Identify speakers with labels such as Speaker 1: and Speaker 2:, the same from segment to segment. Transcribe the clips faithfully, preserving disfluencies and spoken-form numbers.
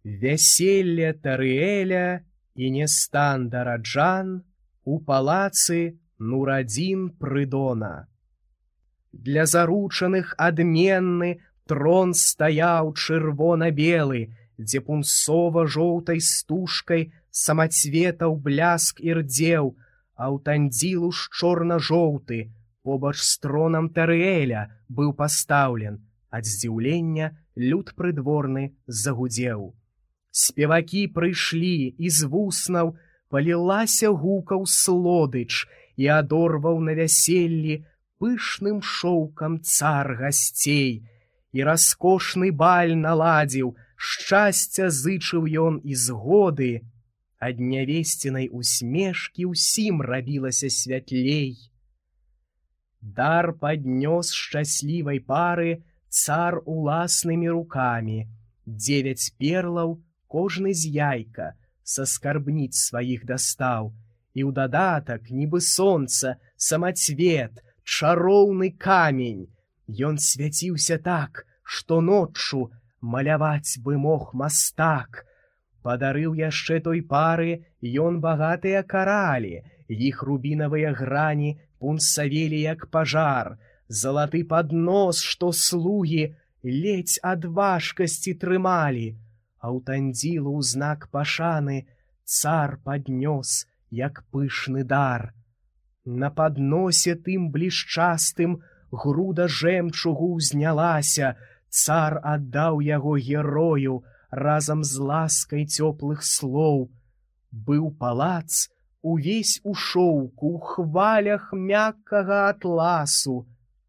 Speaker 1: Вяселле Тарыэля і не стан Дараджан у палацы Нурадзін Прыдона. Для заручаных адменны трон стаяў чырвона-белы, дзе пунсова-жоўтай стужкай самацветаў бляск ірдзеў, аўтандзілу ж чорна-жоўты побач з тронам Тарыэля быў пастаўлен. Ад здзіўлення люд прыдворны загудзеў. Спевакі прыйшлі, і з вуснаў палілася гукаў слодыч, і адорваў на вяселлі пышным шоўкам цар гасцей. І раскошны баль наладзіў, шчасця зычыў ён і згоды. Ад нявесцінай усмешкі ўсім рабілася святлей. Дар паднёс шчаслівай пары цар уласнымі рукамі. Дзевяць перлаў кожны з яйка са скарбніц сваіх дастаў, і ў дадатак, нібы сонца, самацвет, чароўны камень. Ён свяціўся так, што ноччу маляваць бы мог мастак. Падарыў яшчэ той пары ён багатыя каралі, іх рубінавыя грані пунсавелі як пажар, залаты паднос, што слугі ледзь ад важкасці трымалі. Аўтандзілу ў знак пашаны цар паднёс, як пышны дар. На падносе тым блішчастым груда жэмчугу ўзнялася, цар аддаў яго герою разам з ласкай цёплых слоў. Быў палац увесь у шоўку, у хвалях мяккага атласу.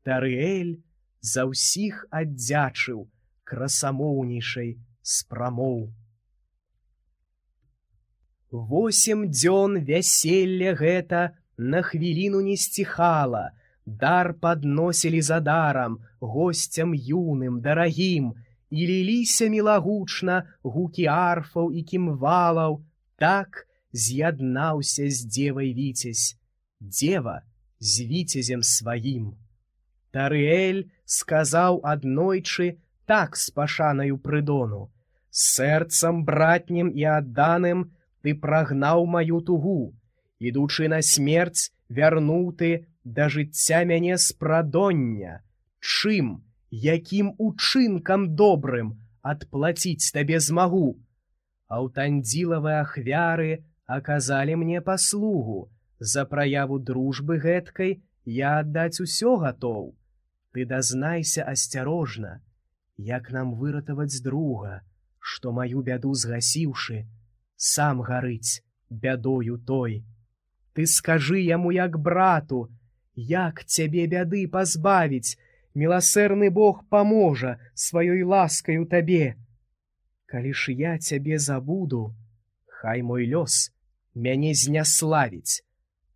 Speaker 1: Тарыэль за ўсіх аддзячыў красамоўнейшай з прамоў. Восем дзён вяселля гэта на хвіліну не сціхала, дар падносілі за дарам, госцям юным, дарагім, і ліліся мілагучна гукі арфаў і кімвалаў. Так з'яднаўся з дзевай віцязь, дзева з віцязем сваім. Тарыэль сказаў аднойчы так з пашанаю Прыдону: «Сэрцам братнім і адданым ты прагнаў маю тугу, ідучы на смерць, вярнуў ты да жыцця мяне з прадоння. Чым, якім учынкам добрым адплаціць табе змагу? Аўтандзілавы ахвяры аказалі мне паслугу, за праяву дружбы гэткай я аддаць усё гатоў. Ты дазнайся асцярожна, як нам выратаваць друга, што маю бяду згасіўшы, сам гарыць бядою той. Ты скажы яму як брату, як цябе бяды пазбавіць, міласэрны Бог паможа сваёй ласкаю табе. Калі ж я цябе забуду, хай мой лёс мяне зняславіць,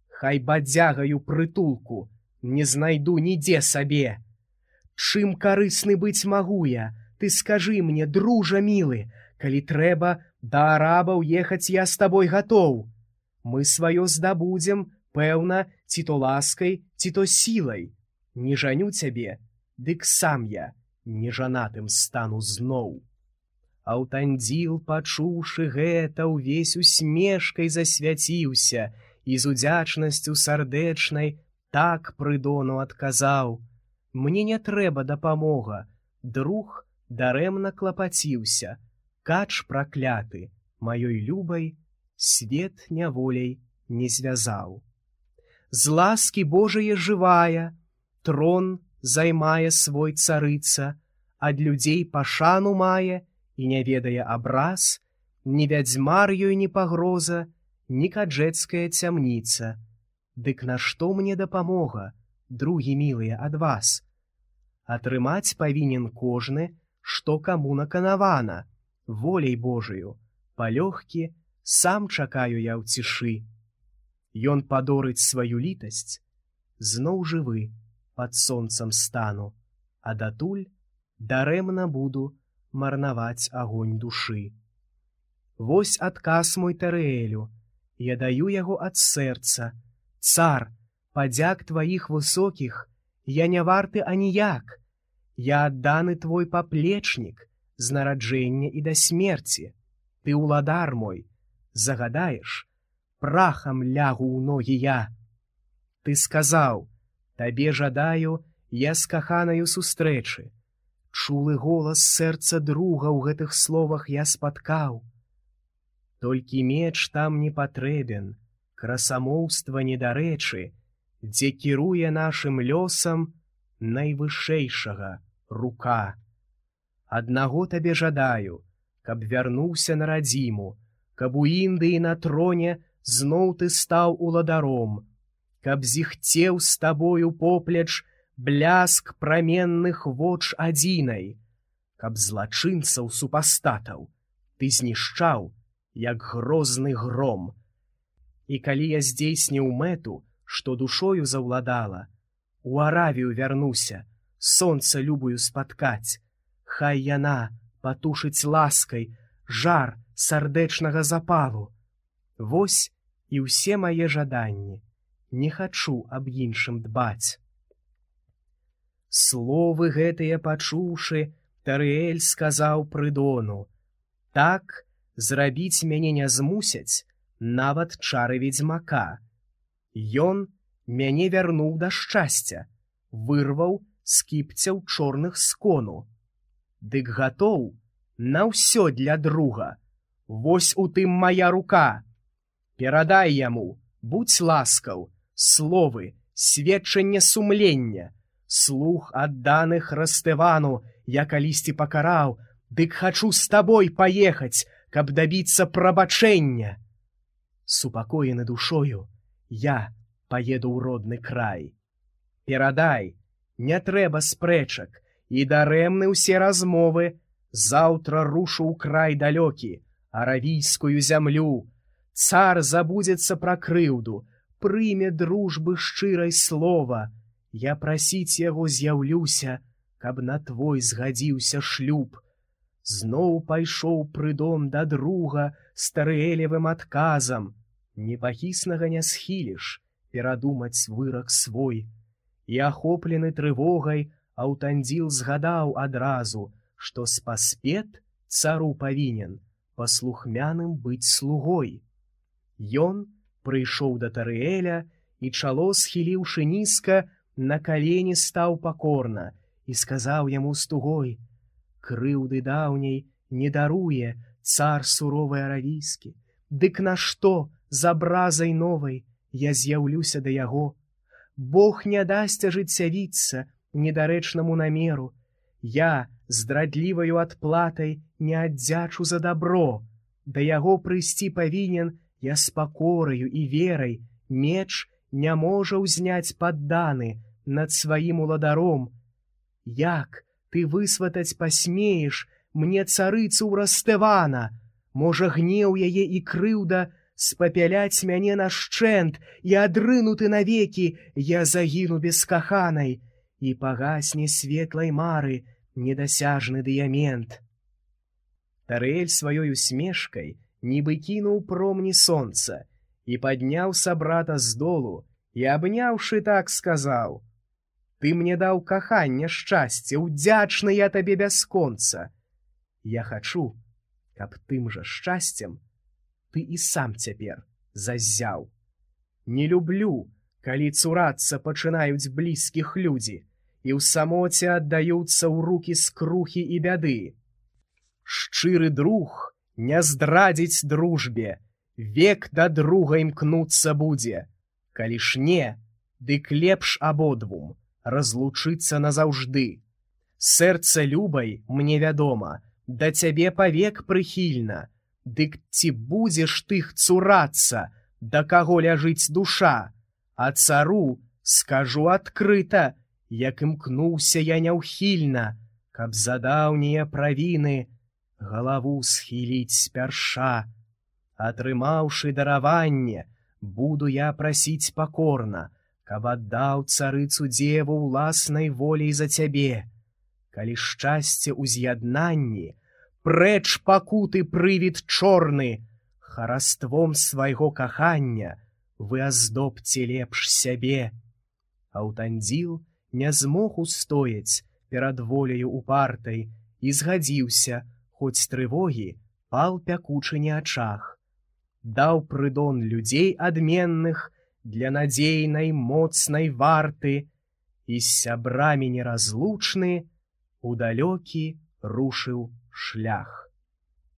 Speaker 1: хай бадзягаю прытулку не знайду нідзе сабе. Чым карысны быць магу я, ты скажы мне, дружа мілы, калі трэба да арабаў ехаць я з табой гатоў. Мы сваё здабудзем, пэўна, ці то ласкай, ці то сілай. Не жаню цябе, дык сам я нежанатым стану зноў». Аўтандзіл, пачуўшы гэта, увесь усмешкай засвяціўся і з удзячнасцю сардэчнай так Прыдону адказаў: «Мне не трэба дапамога, друг дарэмна клапаціўся, кач пракляты, маёй любай свет няволяй не звязаў. З ласкі Божае жывая, трон займае свой царыца, ад людзей пашану мае і не ведае абраз, ні вядзьмар ёй не пагроза, ні каджэцкая цямніца. Дык нашто мне дапамога, другі мілыя, ад вас? Атрымаць павінен кожны, што каму наканавана, воляй Божаю, палёгкі сам чакаю я ў цішы. Ён падорыць сваю літасць, зноў жывы пад сонцам стану, а датуль дарэмна буду марнаваць агонь душы. Вось адказ мой Тарыэлю, я даю яго ад сэрца. Цар, падзяк тваіх высокіх я не варты аніяк. Я адданы твой паплечнік з нараджэння і да смерці. ты ўладар мой, загадаеш, прахам лягу ў ногі я. Ты сказаў, табе жадаю я з каханаю сустрэчы. Чулы голас сэрца друга ў гэтых словах я спаткаў. Толькі меч там не патрэбен, красамоўства недарэчы, дзе кіруе нашым лёсам найвышэйшага рука. Аднаго табе жадаю, каб вярнуўся на радзіму, каб у Індыі на троне зноў ты стаў уладаром, каб зіхцеў з табою поплеч бляск праменных воч адзінай, каб злачынцаў супастатаў ты знішчаў, як грозны гром. І калі я здзейсніў мэту, што душою заўладала, у Аравію вярнуся, сонца любую спаткаць, хай яна патушыць ласкай жар сардэчнага запалу. Вось і ўсе мае жаданні, не хачу аб іншым дбаць. Словы гэтыя пачуўшы, Тарыэль сказаў Прыдону: так зрабіць мяне не змусяць нават чары ведзьмака. Ён мяне вярнуў да шчасця, вырваў з кіпцяў чорных скону. Дык гатоў на ўсё для друга, вось у тым мая рука. Перадай яму, будзь ласкаў, словы, сведчанне сумлення, слух адданых Растэвану я калісьці пакараў, дык хачу з табой паехаць, каб дабіцца прабачэння. Супакоены душою я паеду ў родны край. Перадай, не трэба спрэчак, і дарэмны ўсе размовы, заўтра рушу ў край далёкі, аравійскую зямлю. Цар забудзецца пра крыўду, прыме дружбы шчырай слова. Я прасіць яго з'яўлюся, каб на твой згадзіўся шлюб. Зноў пайшоў Прыдон да друга з Тарыэлевым адказам. Непахіснага не схіліш перадумаць вырак свой. І ахоплены трывогай Аўтандзіл згадаў адразу, што спаспет цару павінен паслухмяным быць слугой. Ён прыйшоў да Тарыэля і, чало схіліўшы нізка, на калені стаў пакорна і сказаў яму з тугой: крыўды даўняй не даруе цар суровы аравійскі, дык нашто з абразай новай я з'яўлюся да яго? Бог не дасць ажыццявіцца недарэчнаму намеру. Я здрадліваю адплатай не аддзячу за дабро. Да яго прыйсці павінен я з пакораю і верай. Меч не можа ўзняць падданы над сваім уладаром. Як ты высватаць пасмееш мне царыцу ў Растэвана? Можа, гнеў яе і крыўда спапяляць мяне нашчэнт, і адрынуты навекі я загіну без каханай, і пагасне светлай мары недасяжны дыямент. Тарыэль сваёй усмешкай нібы кінуў промні сонца і падняў сабрата з долу і, абняўшы, так сказаў: ты мне даў каханне шчасце, удзячны я табе бясконца. Я хачу, каб тым жа шчасцем ты і сам цяпер заззяў. Не люблю, калі цурацца пачынаюць блізкіх людзі і ў самоце аддаюцца ў рукі скрухі і бяды. Шчыры друг не здрадзіць дружбе, век да друга імкнуцца будзе. Калі ж не, дык лепш абодвум разлучыцца назаўжды. Сэрца любай, мне вядома, да цябе павек прыхільна, дык ці будзеш тых цурацца, да каго ляжыць душа? А цару скажу адкрыта, як імкнуўся я няўхільна, каб за даўнія правіны галаву схіліць спярша. Атрымаўшы дараванне, буду я прасіць пакорна, каб аддаў царыцу дзеву ўласнай волей за цябе. Калі шчасце ў з'яднанні, прэч пакуты прывід чорны, хараством свайго кахання вы аздобце лепш сябе. Аўтандзіл не змог устояць перад воляю упартай і згадзіўся, хоць трывогі пал пякучы не ачах, даў прыдон людзей адменных для надзейнай моцнай варты, і з сябрамі неразлучны у далёкі рушыў шлях.